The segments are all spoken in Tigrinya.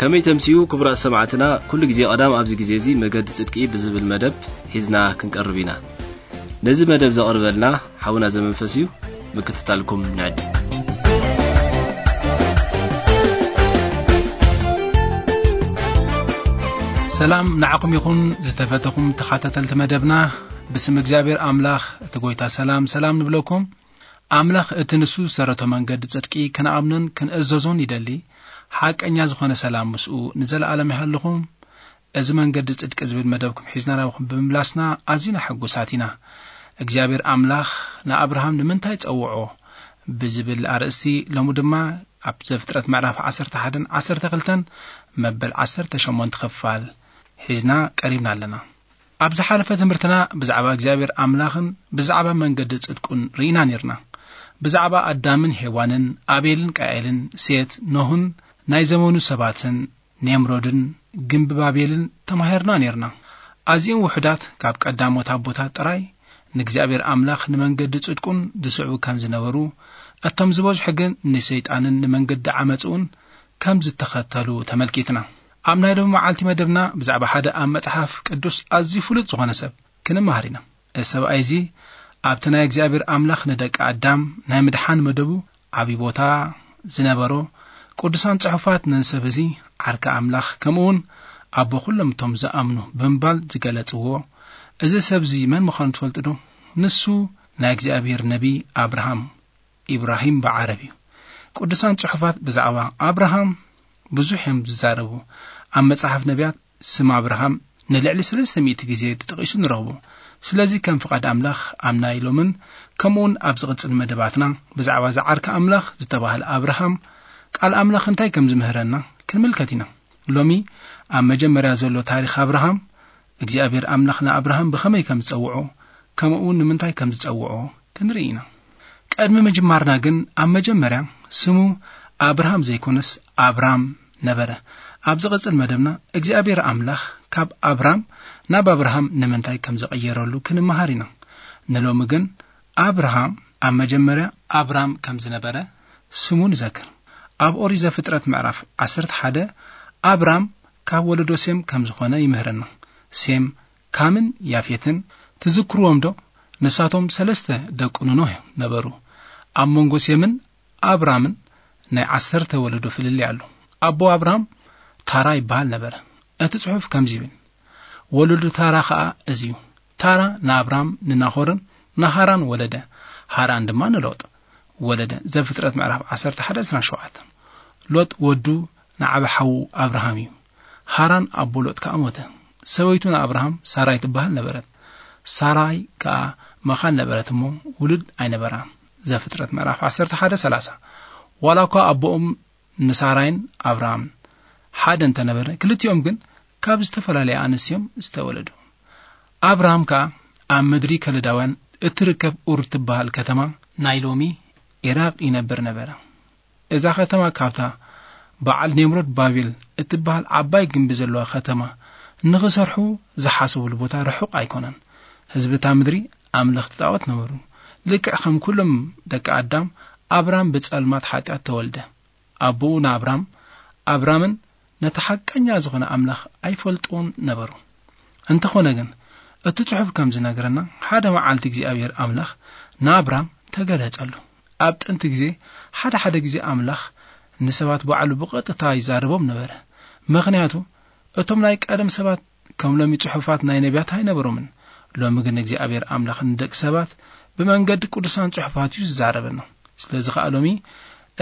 ከመይ ተምስዩ ክቡራት ሰማዕትና፣ ኩሉ ግዜ ቀዳም ኣብዚ ግዜ እዚ መገዲ ጽድቂ ብዝብል መደብ ሒዝና ክንቀርብ ኢና። ነዚ መደብ ዘቕርበልና ሓውና ዘመንፈስ እዩ። ምክትታልኩም ንዕድም። ሰላም ንዓኹም ይኹን ዝተፈተኹም ተኻታተልቲ መደብና። ብስም እግዚኣብሔር ኣምላኽ እቲ ጎይታ ሰላም ሰላም ንብለኩም። ኣምላኽ እቲ ንሱ ዝሰረቶ መንገዲ ጽድቂ ክንኣምኖን ክንእዘዞን ይደሊ። ሓቀኛ ዝኾነ ሰላም ምስኡ ንዘለኣለም ይሃልኹም። እዚ መንገዲ ጽድቂ ዝብል መደብኩም ሒዝና ናብኹም ብምምላስና ኣዚና ሕጉሳት ኢና። እግዚኣብሔር ኣምላኽ ንኣብርሃም ንምንታይ ጸውዖ ብዝብል ኣርእስቲ ሎሚ ድማ ኣብ ዘፍጥረት ምዕራፍ ዓሰርተ ሓደን ዓሰርተ ክልተን መበል ዓሰርተ ሸሞንተ ክፋል ሒዝና ቀሪብና ኣለና። ኣብ ዝሓለፈ ትምህርትና ብዛዕባ እግዚኣብሔር ኣምላኽን ብዛዕባ መንገዲ ጽድቁን ርኢና ኔርና። ብዛዕባ ኣዳምን ሄዋንን፣ ኣቤልን ቃኤልን፣ ሴት፣ ኖህን ናይ ዘመኑ ሰባትን፣ ኔምሮድን፣ ግምቢ ባቤልን ተማሂርና ኔርና። ኣዚኦም ውሑዳት ካብ ቀዳሞት ኣቦታት ጥራይ ንእግዚኣብሔር ኣምላኽ ንመንገዲ ጽድቁን ዝስዕቡ ከም ዝነበሩ፣ እቶም ዝበዝሑ ግን ንሰይጣንን ንመንገዲ ዓመጽኡን ከም ዝተኸተሉ ተመልኪትና። ኣብ ናይ ሎሚ መዓልቲ መደብና ብዛዕባ ሓደ ኣብ መጽሓፍ ቅዱስ ኣዝዩ ፍሉጥ ዝኾነ ሰብ ክንመሃር ኢና። እዚ ሰብኣይ እዚ ኣብቲ ናይ እግዚኣብሔር ኣምላኽ ንደቂ ኣዳም ናይ ምድሓን መደቡ ዓብዪ ቦታ ዝነበሮ፣ ቅዱሳን ጽሑፋት ነዚ ሰብ እዚ ዓርኪ ኣምላኽ ከምኡ እውን ኣቦ ኩሎም እቶም ዝኣምኑ ብምባል ዝገለጽዎ፣ እዚ ሰብ እዚ መን ምዃኑ ትፈልጡ ዶ? ንሱ ናይ እግዚኣብሔር ነቢይ ኣብርሃም፣ ኢብራሂም ብዓረብ እዩ። ቅዱሳን ጽሑፋት ብዛዕባ ኣብርሃም ብዙሕ እዮም ዝዛረቡ። ኣብ መጽሓፍ ነቢያት ስም ኣብርሃም ንልዕሊ ሰለስተ ሚእቲ ግዜ ተጠቒሱ ንረኽቦ። ስለዚ ከም ፍቓድ ኣምላኽ ኣብ ናይ ሎምን ከምኡውን ኣብ ዝቕጽል መደባትና ብዛዕባ እዚ ዓርኪ ኣምላኽ ዝተባህለ ኣብርሃም ቃል ኣምላኽ እንታይ ከም ዝምህረና ክንምልከት ኢና። ሎሚ ኣብ መጀመርያ ዘሎ ታሪኽ ኣብርሃም እግዚኣብሔር ኣምላኽ ንኣብርሃም ብኸመይ ከም ዝጸውዖ ከምኡውን ንምንታይ ከም ዝጸውዖ ክንርኢ ኢና። ቅድሚ ምጅማርና ግን ኣብ መጀመርያ ስሙ ኣብርሃም ዘይኮነስ ኣብራም ነበረ። ኣብ ዝቕጽል መደብና እግዚኣብሔር ኣምላኽ ካብ ኣብራም ናብ ኣብርሃም ንምንታይ ከም ዝቐየረሉ ክንመሃር ኢና። ንሎሚ ግን ኣብርሃም ኣብ መጀመርያ ኣብራም ከም ዝነበረ ስሙ ንዘክር። ኣብ ኦሪት ዘፍጥረት ምዕራፍ ዓሰርተ ሓደ ኣብራም ካብ ወለዶ ሴም ከም ዝኾነ ይምህረና። ሴም፣ ካምን ያፌትን ትዝክርዎም ዶ? ንሳቶም ሰለስተ ደቂ ኖህ ነበሩ። ኣብ መንጎ ሴምን ኣብራምን ናይ ዓሰርተ ወለዶ ፍልልይ ኣሎ። ኣቦ ኣብራም ታራ ይበሃል ነበረ። እቲ ጽሑፍ ከምዚ ይብል፣ ወለዶ ታራ ኸኣ እዚ እዩ። ታራ ንኣብራም ንናኾርን ንሃራን ወለደ። ሃራን ድማ ንሎጥ ወለደ። ዘፍጥረት ምዕራፍ ዓሰርተ ሓደ ዕስራን ሸውዓተን። ሎጥ ወዱ ንዓቢ ሓዉ ኣብርሃም እዩ። ሃራን ኣቦ ሎጥ ከኣ ሞተ። ሰበይቱ ንኣብርሃም ሳራይ ትበሃል ነበረት። ሳራይ ከኣ መኻን ነበረት እሞ ውሉድ ኣይነበራን። ዘፍጥረት ምዕራፍ ዓሰርተ ሓደ ሰላሳ። ዋላ እኳ ኣቦኦም ንሳራይን ኣብርሃምን ሓደ እንተነበረ፣ ክልቲኦም ግን ካብ ዝተፈላለያ ኣንስቲ እዮም ዝተወለዱ። ኣብርሃም ከኣ ኣብ ምድሪ ከለዳውያን እትርከብ ኡር ትበሃል ከተማ፣ ናይ ሎሚ ኢራቕ፣ ይነብር ነበረ። እዛ ከተማ ካብታ በዓል ኔምሮድ ባቤል እትበሃል ዓባይ ግምቢ ዘለዋ ከተማ ንኽሰርሑ ዝሓሰብሉ ቦታ ርሑቕ ኣይኮነን። ህዝቢ እታ ምድሪ ኣምለኽቲ ጣዖት ነበሩ። ልክዕ ከም ኩሎም ደቂ ኣዳም፣ ኣብራም ብጸልማት ሓጢኣት ተወልደ። ኣቦኡ ንኣብራም፣ ኣብራምን ነቲ ሓቀኛ ዝኾነ ኣምላኽ ኣይፈልጥዎን ነበሩ። እንተኾነ ግን፣ እቲ ጽሑፍ ከም ዝነግረና፣ ሓደ መዓልቲ እግዚኣብሔር ኣምላኽ ንኣብራም ተገለጸሉ። ኣብ ጥንቲ ግዜ፣ ሓደ ሓደ ግዜ ኣምላኽ ንሰባት ባዕሉ ብቐጥታ ይዛረቦም ነበረ። ምኽንያቱ፣ እቶም ናይ ቀደም ሰባት ከም ሎሚ ጽሑፋት ናይ ነቢያት ኣይነበሮምን። ሎሚ ግን እግዚኣብሔር ኣምላኽ ንደቂ ሰባት ብመንገዲ ቅዱሳን ጽሑፋት እዩ ዝዛረበና። ስለዚ ኸኣ ሎሚ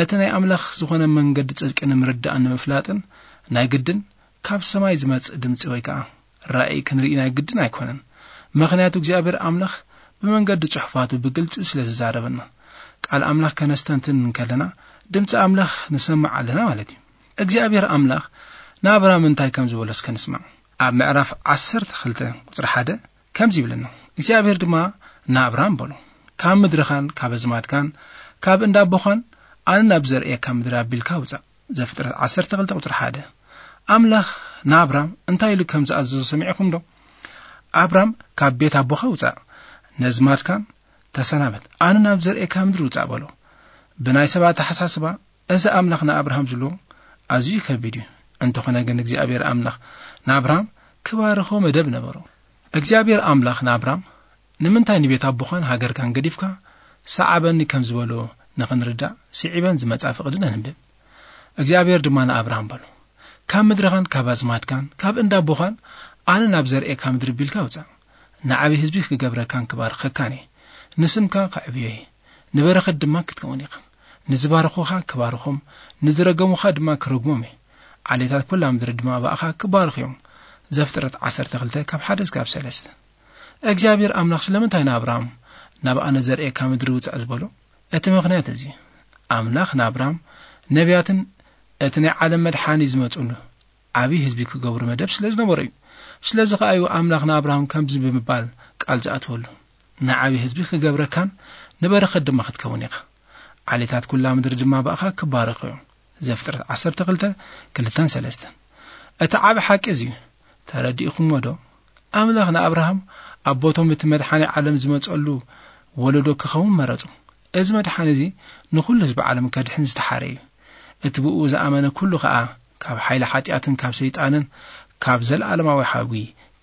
እቲ ናይ ኣምላኽ ዝኾነ መንገዲ ጽድቂ ንምርዳእን ንምፍላጥን ናይ ግድን ካብ ሰማይ ዝመጽእ ድምጺ ወይ ከኣ ራእይ ክንርኢ ናይ ግድን ኣይኮነን። ምኽንያቱ እግዚኣብሔር ኣምላኽ ብመንገዲ ጽሑፋቱ ብግልጺ ስለ ዝዛረበና። ቃል ኣምላኽ ከነስተንትን እንከለና ድምጺ ኣምላኽ ንሰምዕ ኣለና ማለት እዩ። እግዚኣብሔር ኣምላኽ ንኣብራም እንታይ ከም ዝበሎ እስከ ንስማዕ። ኣብ ምዕራፍ ዓሰርተ ክልተ ቁጽሪ ሓደ ከምዚ ይብለና፣ እግዚኣብሔር ድማ ንኣብራም በሎ፣ ካብ ምድርኻን ካብ ኣዝማድካን ካብ እንዳ ኣቦኻን ኣነ ናብ ዘርእየካ ምድሪ ኣቢልካ ውጻእ። ዘፍጥረት ዓሰርተ ክልተ ቁጽሪ ሓደ። ኣምላኽ ንኣብራም እንታይ ኢሉ ከም ዝኣዘዞ ሰሚዕኹም ዶ? ኣብራም ካብ ቤት ኣቦኻ ውጻእ፣ ነዝማድካን ተሰናበት፣ ኣነ ናብ ዘርእየካ ምድሪ ውጻእ በሎ። ብናይ ሰባት ኣተሓሳስባ እዚ ኣምላኽ ንኣብርሃም ዝብሎ ኣዝዩ ከቢድ እዩ። እንተኾነ ግን እግዚኣብሔር ኣምላኽ ንኣብርሃም ክባርኾ መደብ ነበሮ። እግዚኣብሔር ኣምላኽ ንኣብርሃም ንምንታይ ንቤት ኣቦኻን ሃገርካን ገዲፍካ ሰዓበኒ ከም ዝበሎ ንኽንርዳእ ስዒበን ዝመጻ ፍቕዲ ነንብብ። እግዚኣብሔር ድማ ንኣብርሃም በሎ፣ ካብ ምድርኻን ካብ ኣዝማድካን ካብ እንዳ ኣቦኻን ኣነ ናብ ዘርእየካ ምድሪ ቢልካ ውጻእ። ንዓቢ ህዝቢ ክገብረካን ክባርኸካን እየ። ንስምካ ከዕብዮ እየ። ንበረኸት ድማ ክትከውን ኢኻ። ንዝባረኹኻ ክባርኾም፣ ንዝረገሙኻ ድማ ክረግሞም እየ። ዓሌታት ኩላ ምድሪ ድማ ብኣኻ ክባርኹ እዮም። ዘፍጥረት ዓሰርተ ክልተ ካብ ሓደ እስካብ ሰለስተ። እግዚኣብሔር ኣምላኽ ስለምንታይ ንኣብርሃም ናብ ኣነ ዘርእየካ ምድሪ ውጻእ ዝበሎ? እቲ ምኽንያት እዚ ኣምላኽ ንኣብርሃም ነቢያትን እቲ ናይ ዓለም መድሓኒ ዝመጽሉ ዓቢ ህዝቢ ክገብሩ መደብ ስለ ዝነበሮ እዩ። ስለዚ ከኣ እዩ ኣምላኽ ንኣብርሃም ከምዚ ብምባል ቃል ዝኣተወሉ፣ ንዓቢ ህዝቢ ክገብረካን ንበረኸት ድማ ክትከውን ኢኻ። ዓሌታት ኩላ ምድሪ ድማ ብኣኻ ክባረኹ እዮም። ዘፍጥረት ዓሰርተ ክልተ ክልተን ሰለስተን። እቲ ዓቢ ሓቂ እዚ እዩ። ተረዲእኹምዎ ዶ? ኣምላኽ ንኣብርሃም ኣቦቶም እቲ መድሓኒ ዓለም ዝመጸሉ ወለዶ ክኸውን መረጹ። እዚ መድሓኒ እዚ ንኹሉ ህዝቢ ዓለም ከድሕን ዝተሓረ እዩ። እቲ ብኡ ዝኣመነ ኩሉ ኸኣ ካብ ሓይሊ ሓጢኣትን ካብ ሰይጣንን ካብ ዘለኣለማዊ ሓዊ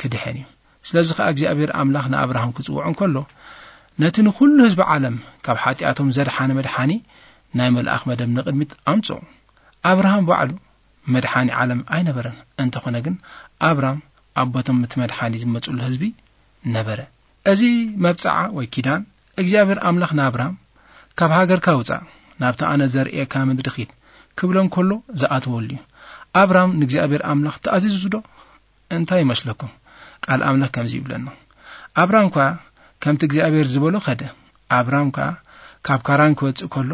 ክድሕን እዩ። ስለዚ ኸኣ እግዚኣብሔር ኣምላኽ ንኣብርሃም ክጽውዖ እንከሎ፣ ነቲ ንኹሉ ህዝቢ ዓለም ካብ ሓጢኣቶም ዘድሓነ መድሓኒ ናይ መልኣኽ መደብ ንቕድሚት ኣምጽኦ። ኣብርሃም ባዕሉ መድሓኒ ዓለም ኣይነበረን። እንተኾነ ግን ኣብራም ኣቦቶም እቲ መድሓኒ ዝመጽሉ ህዝቢ ነበረ። እዚ መብጽዓ ወይ ኪዳን እግዚኣብሔር ኣምላኽ ንኣብራም ካብ ሃገርካ ውጻእ፣ ናብቲ ኣነ ዘርእየካ ምድሪ ኺድ ክብሎ እንከሎ ዝኣተወሉ እዩ። ኣብራም ንእግዚኣብሔር ኣምላኽ ተኣዚዙ ዶ? እንታይ ይመስለኩም? ቃል ኣምላኽ ከምዚ ይብለና። ኣብራም ከኣ ከምቲ እግዚኣብሔር ዝበሎ ኸደ። ኣብራም ከኣ ካብ ካራን ክወጽእ ከሎ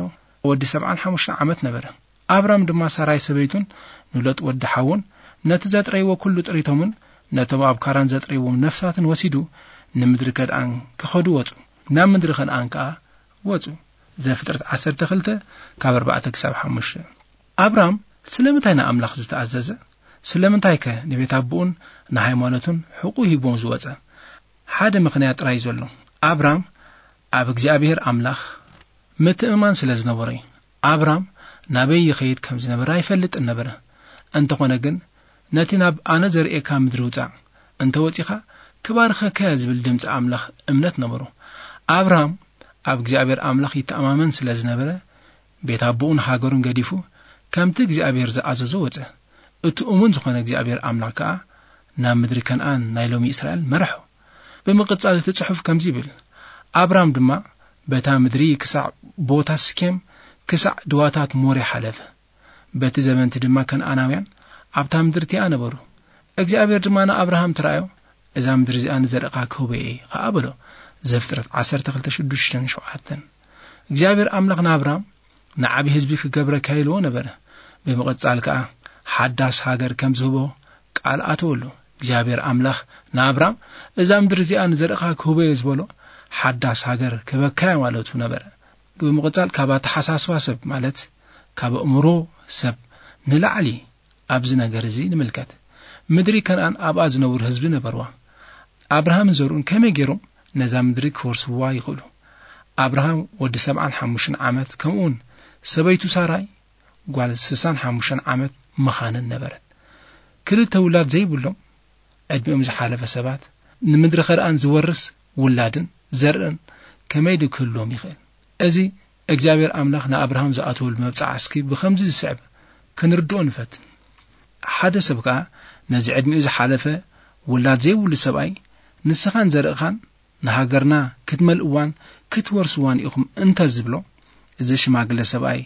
ወዲ ሰብዓን ሓሙሽተን ዓመት ነበረ። ኣብራም ድማ ሳራይ ሰበይቱን ንሎጥ ወዲ ሓውን ነቲ ዘጥረይዎ ኩሉ ጥሪቶምን ነቶም ኣብ ካራን ዘጥረይዎም ነፍሳትን ወሲዱ ንምድሪ ከነኣን ክኸዱ ወጹ። ናብ ምድሪ ከነኣን ከኣ ወጹ። ዘፍጥረት ዓሰርተ ክልተ ካብ ኣርባዕተ ክሳብ ሓሙሽተ። ኣብራም ስለምንታይ ንኣምላኽ ዝተኣዘዘ? ስለምንታይከ ንቤት ኣቦኡን ንሃይማኖቱን ሕቁ ሂቦም ዝወጸ? ሓደ ምኽንያት ጥራይ ዘሎ። ኣብራም ኣብ እግዚኣብሔር ኣምላኽ ምትእምማን ስለ ዝነበሮ እዩ። ኣብራም ናበይ ይኸይድ ከም ዝነበረ ኣይፈልጥን ነበረ። እንተኾነ ግን ነቲ ናብ ኣነ ዘርእየካ ምድሪ ውጻእ፣ እንተ ወጺኻ ክባርኸካ እየ ዝብል ድምጺ ኣምላኽ እምነት ነበሮ። ኣብራም ኣብ እግዚኣብሔር ኣምላኽ ይተኣማመን ስለ ዝነበረ ቤት ኣቦኡን ሃገሩን ገዲፉ ከምቲ እግዚኣብሔር ዝኣዘዞ ወጸ። እቲ እሙን ዝኾነ እግዚኣብሔር ኣምላኽ ከኣ ናብ ምድሪ ከነኣን ናይ ሎሚ እስራኤል መርሖ። ብምቕጻል እቲ ጽሑፍ ከምዚ ይብል፣ ኣብራም ድማ በታ ምድሪ ክሳዕ ቦታ ስኬም ክሳዕ ድዋታት ሞሬ ሓለፈ። በቲ ዘበንቲ ድማ ከነኣናውያን ኣብታ ምድሪ እቲኣ ነበሩ። እግዚኣብሔር ድማ ንኣብርሃም ተራእዮ፣ እዛ ምድሪ እዚኣ ንዘርእኻ ክህቦ እየ ኸኣ በሎ። ዘፍጥረት ዓሰርተ ክልተ ሽዱሽተን ሸውዓተን። እግዚኣብሔር ኣምላኽ ንኣብራም ንዓቢ ህዝቢ ክገብረካ ኢልዎ ነበረ። ብምቕጻል ከኣ ሓዳስ ሃገር ከም ዝህቦ ቃል ኣተወሉ። እግዚኣብሔር ኣምላኽ ንኣብራም እዛ ምድሪ እዚኣ ንዘርእኻ ክህቦ እየ ዝበሎ ሓዳስ ሃገር ክህበካ እየ ማለቱ ነበረ። ብምቕጻል ካብ ኣተሓሳስባ ሰብ ማለት ካብ ኣእምሮ ሰብ ንላዕሊ ኣብዚ ነገር እዚ ንምልከት። ምድሪ ከነኣን ኣብኣ ዝነብሩ ህዝቢ ነበርዋ። ኣብርሃምን ዘርኡን ከመይ ገይሮም ነዛ ምድሪ ክወርስዋ ይኽእሉ? ኣብርሃም ወዲ ሰብዓን ሓሙሽተን ዓመት ከምኡውን ሰበይቱ ሳራይ ጓል ስሳን ሓሙሽተን ዓመት ምኻነን ነበረት። ክልተ ውላድ ዘይብሎም ዕድሚኦም ዝሓለፈ ሰባት ንምድሪ ከነኣን ዝወርስ ውላድን ዘርእን ከመይ ድዩ ክህልዎም ይኽእል? እዚ እግዚኣብሔር ኣምላኽ ንኣብርሃም ዝኣተወሉ መብጽዓ እስኪ ብኸምዚ ዝስዕብ ክንርድኦ ንፈትን። ሓደ ሰብ ከኣ ነዚ ዕድሚኡ ዝሓለፈ ውላድ ዘይብሉ ሰብኣይ ንስኻን ዘርእኻን ንሃገርና ክትመልእዋን ክትወርስዋን ኢኹም እንተ ዝብሎ፣ እዚ ሽማግለ ሰብኣይ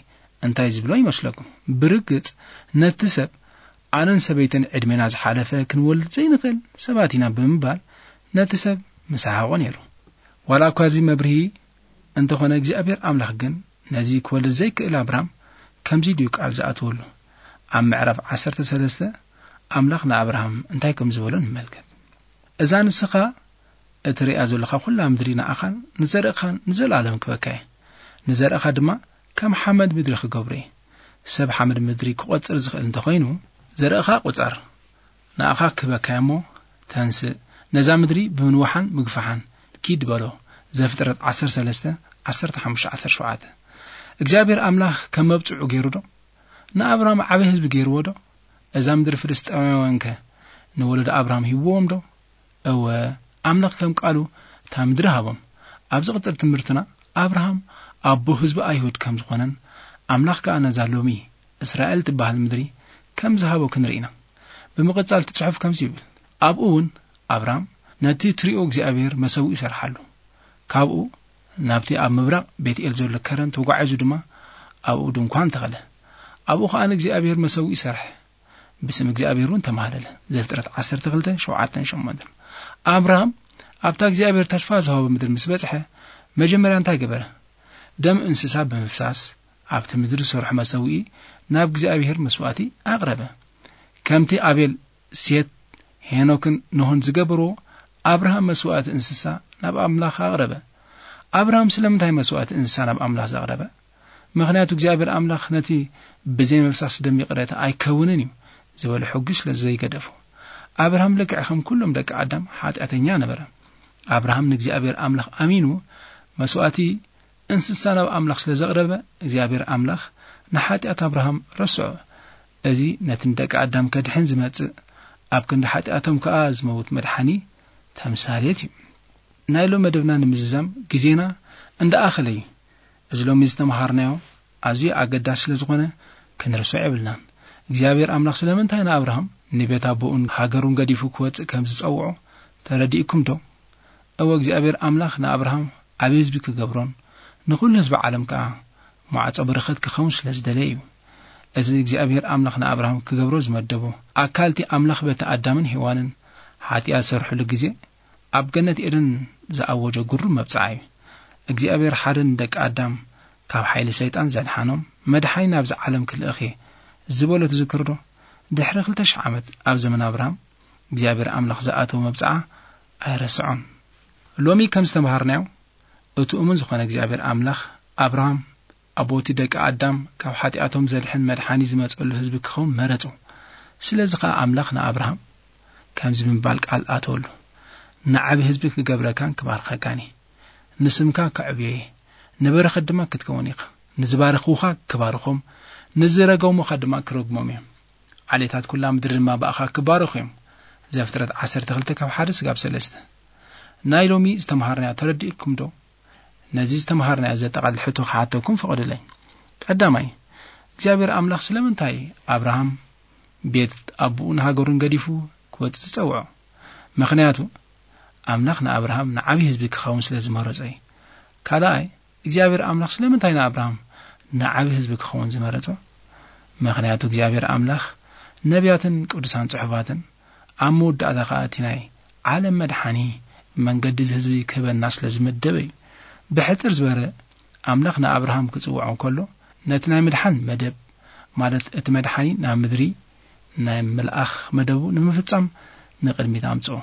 እንታይ ዝብሎ ይመስለኩም? ብርግጽ ነቲ ሰብ ኣነን ሰበይትን ዕድሜና ዝሓለፈ ክንወልድ ዘይንኽእል ሰባት ኢና ብምባል ነቲ ሰብ ምሰሓቖ ነይሩ። ዋላ እኳ እዚ መብርሂ እንተኾነ እግዚኣብሔር ኣምላኽ ግን ነዚ ክወልድ ዘይክእል ኣብራም ከምዚ ድዩ ቃል ዝኣተወሉ? ኣብ ምዕራፍ ዓሰርተ ሰለስተ ኣምላኽ ንኣብርሃም እንታይ ከም ዝበሎ ንመልከት። እዛ ንስኻ እትርእያ ዘለኻ ኩላ ምድሪ ንኣኻን ንዘርእኻን ንዘለኣለም ክበካ እየ። ንዘርእኻ ድማ ከም ሓመድ ምድሪ ክገብሮ እየ። ሰብ ሓመድ ምድሪ ክቖጽር ዝኽእል እንተኾይኑ፣ ዘርእኻ ቁጸር። ንኣኻ ክህበካ እየ እሞ ተንስእ፣ ነዛ ምድሪ ብምንዋሓን ምግፋሓን ኪድ በሎ። ዘፍጥረት ዓሰርተ ሰለስተ፣ ዓሰርተ ሓሙሽተ፣ ዓሰርተ ሸውዓተ። እግዚኣብሔር ኣምላኽ ከም መብጽዑ ገይሩ ዶ? ንኣብራም ዓቢ ህዝቢ ገይርዎ ዶ? እዛ ምድሪ ፍልስጤማውያንከ ንወለዶ ኣብርሃም ሂብዎም ዶ? እወ፣ ኣምላኽ ከም ቃሉ እታ ምድሪ ሃቦም። ኣብ ዝቕጽል ትምህርትና፣ ኣብርሃም ኣቦ ህዝቢ ኣይሁድ ከም ዝኾነን፣ ኣምላኽ ከኣ ነዛ ሎሚ እስራኤል ትበሃል ምድሪ ከም ዝሃቦ ክንርኢ ኢና። ብምቕጻል እቲ ጽሑፍ ከምዚ ይብል፣ ኣብኡ እውን ኣብርሃም ነቲ ትሪኦ እግዚኣብሔር መሰውኢ ይሰርሓሉ። ካብኡ ናብቲ ኣብ ምብራቕ ቤትኤል ዘሎ ከረን ተጓዒዙ ድማ ኣብኡ ድንኳን ተኸለ። ኣብኡ ከኣ ንእግዚኣብሔር መሰውኢ ይሰርሐ። ብስም እግዚኣብሔር እውን ተማህለለ። ዘፍጥረት ዓሰርተ ክልተ፣ ሸውዓተን ሸሞንተን። ኣብርሃም ኣብታ እግዚኣብሔር ተስፋ ዝሃቦ ምድሪ ምስ በጽሐ፣ መጀመርያ እንታይ ገበረ? ደም እንስሳ ብምፍሳስ፣ ኣብቲ ምድሪ ዝሰርሖ መሰውኢ ናብ እግዚኣብሔር መስዋእቲ ኣቕረበ። ከምቲ ኣቤል፣ ሴት፣ ሄኖክን ኖህን ዝገበርዎ፣ ኣብርሃም መስዋእቲ እንስሳ ናብ ኣምላኽ ኣቕረበ። ኣብርሃም ስለምንታይ መስዋእቲ እንስሳ ናብ ኣምላኽ ዘቕረበ? ምኽንያቱ እግዚኣብሔር ኣምላኽ ነቲ ብዘይ ምፍሳስ ደም ይቕረታ ኣይከውንን እዩ ዝበሎ ሕጊ ስለ ዘይገደፎ። ኣብርሃም ልክዕ ከም ኩሎም ደቂ ኣዳም ሓጢኣተኛ ነበረ። ኣብርሃም ንእግዚኣብሔር ኣምላኽ ኣሚኑ መስዋእቲ እንስሳ ናብ ኣምላኽ ስለ ዘቕረበ፣ እግዚኣብሔር ኣምላኽ ንሓጢኣት ኣብርሃም ረስዖ። እዚ ነቲ ንደቂ ኣዳም ከድሕን ዝመጽእ፣ ኣብ ክንዲ ሓጢኣቶም ከኣ ዝመውት መድሓኒ ተምሳሌት እዩ። ናይ ሎም መደብና ንምዝዛም ግዜና እንዳኣኸለ እዩ። እዚ ሎሚ ዝተምሃርናዮ ኣዝዩ ኣገዳሲ ስለ ዝኾነ ክንርስዖ የብልናን። እግዚኣብሔር ኣምላኽ ስለምንታይ ንኣብርሃም ንቤት ኣቦኡን ሃገሩን ገዲፉ ክወጽእ ከም ዝጸውዖ ተረዲእኩም ዶ? እወ፣ እግዚኣብሔር ኣምላኽ ንኣብርሃም ዓቢ ህዝቢ ክገብሮን ንኹሉ ህዝቢ ዓለም ከኣ ማዕጾ በረኸት ክኸውን ስለ ዝደለየ እዩ። እዚ እግዚኣብሔር ኣምላኽ ንኣብርሃም ክገብሮ ዝመደቦ ኣካልቲ ኣምላኽ በቲ ኣዳምን ሄዋንን ሓጢኣት ዝሰርሕሉ ግዜ ኣብ ገነት ኤደን ዝኣወጆ ግሩም መብጽዓ እዩ። እግዚኣብሔር ሓደ ንደቂ ኣዳም ካብ ሓይሊ ሰይጣን ዘድሓኖም መድሓኒ ናብዚ ዓለም ክልእኽ እየ ዝበሎ ትዝክሩ ዶ? ድሕሪ ክልተ ሽሕ ዓመት ኣብ ዘመን ኣብርሃም እግዚኣብሔር ኣምላኽ ዝኣተወ መብጽዓ ኣይረስዖን። ሎሚ ከም ዝተምሃርናዮ፣ እቲ እሙን ዝኾነ እግዚኣብሔር ኣምላኽ ኣብርሃም ኣቦቲ ደቂ ኣዳም ካብ ሓጢኣቶም ዘድሕን መድሓኒ ዝመጸሉ ህዝቢ ክኸውን መረጹ። ስለዚ ኸኣ ኣምላኽ ንኣብርሃም ከምዚ ብምባል ቃል ኣተወሉ፣ "ንዓቢ ህዝቢ ክገብረካን ክባርኸካን እየ። ንስምካ ከዕብዮ እየ፣ ንበረኸት ድማ ክትከውን ኢኻ። ንዝባረኽዉኻ ክባርኾም፣ ንዝረገሙኻ ድማ ክረግሞም እዮም። ዓሌታት ኩላ ምድሪ ድማ ብኣኻ ክባረኹ እዮም።" ዘፍጥረት ዓሰርተ ክልተ ካብ ሓደ ስጋብ ሰለስተ። ናይ ሎሚ ዝተምሃርናዮ ተረዲእኩም ዶ? ነዚ ዝተምሃርናዮ ዘጠቓልል ሕቶ ክሓተኩም ፍቐዱለይ። ቀዳማይ፣ እግዚኣብሔር ኣምላኽ ስለምንታይ ኣብርሃም ቤት ኣቦኡን ሃገሩን ገዲፉ ክወጽእ ዝጸውዖ? ምኽንያቱ፣ ኣምላኽ ንኣብርሃም ንዓቢ ህዝቢ ክኸውን ስለ ዝመረጾ እዩ። ካልኣይ፣ እግዚኣብሔር ኣምላኽ ስለምንታይ ንኣብርሃም ንዓቢ ህዝቢ ክኸውን ዝመረጾ? ምኽንያቱ፣ እግዚኣብሔር ኣምላኽ ነቢያትን ቅዱሳን ጽሑፋትን ኣብ መወዳእታ ኸኣ እቲ ናይ ዓለም መድሓኒ መንገዲ እዚ ህዝቢ ክህበና ስለ ዝመደበ እዩ። ብሕጽር ዝበረ፣ ኣምላኽ ንኣብርሃም ክጽውዖ እንከሎ፣ ነቲ ናይ ምድሓን መደብ፣ ማለት እቲ መድሓኒ ናብ ምድሪ ናይ ምልኣኽ መደቡ ንምፍጻም ንቕድሚት ኣምጽኦ።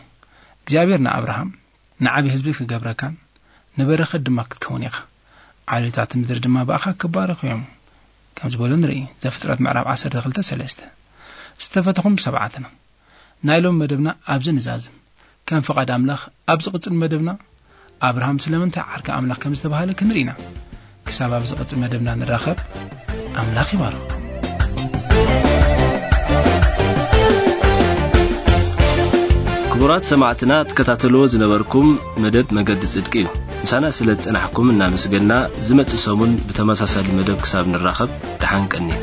እግዚኣብሔር ንኣብርሃም፣ "ንዓቢ ህዝቢ ክገብረካን ንበረኸት ድማ ክትከውን ኢኻ። ዓሌታት ምድሪ ድማ ብኣኻ ክባረኹ እዮም" ከም ዝበሎ ንርኢ። ዘፍጥረት ምዕራፍ ዓሰርተ ክልተ ሰለስተ። ዝተፈተኹም ሰማዕትና፣ ናይ ሎም መደብና ኣብዚ ንዛዝም። ከም ፍቓድ ኣምላኽ፣ ኣብ ዝቕጽል መደብና ኣብርሃም ስለምንታይ ዓርኪ ኣምላኽ ከም ዝተባህለ ክንርኢ ኢና። ክሳብ ኣብ ዝቕጽል መደብና ንራኸብ፣ ኣምላኽ ይባርኽኩም። ክቡራት ሰማዕትና፣ ትከታተልዎ ዝነበርኩም መደብ መገዲ ጽድቂ እዩ። ምሳና ስለ ዝጸናሕኩም እናመስገንና፣ ዝመጽእ ሰሙን ብተመሳሳሊ መደብ ክሳብ ንራኸብ፣ ደሓን ቀንዩ።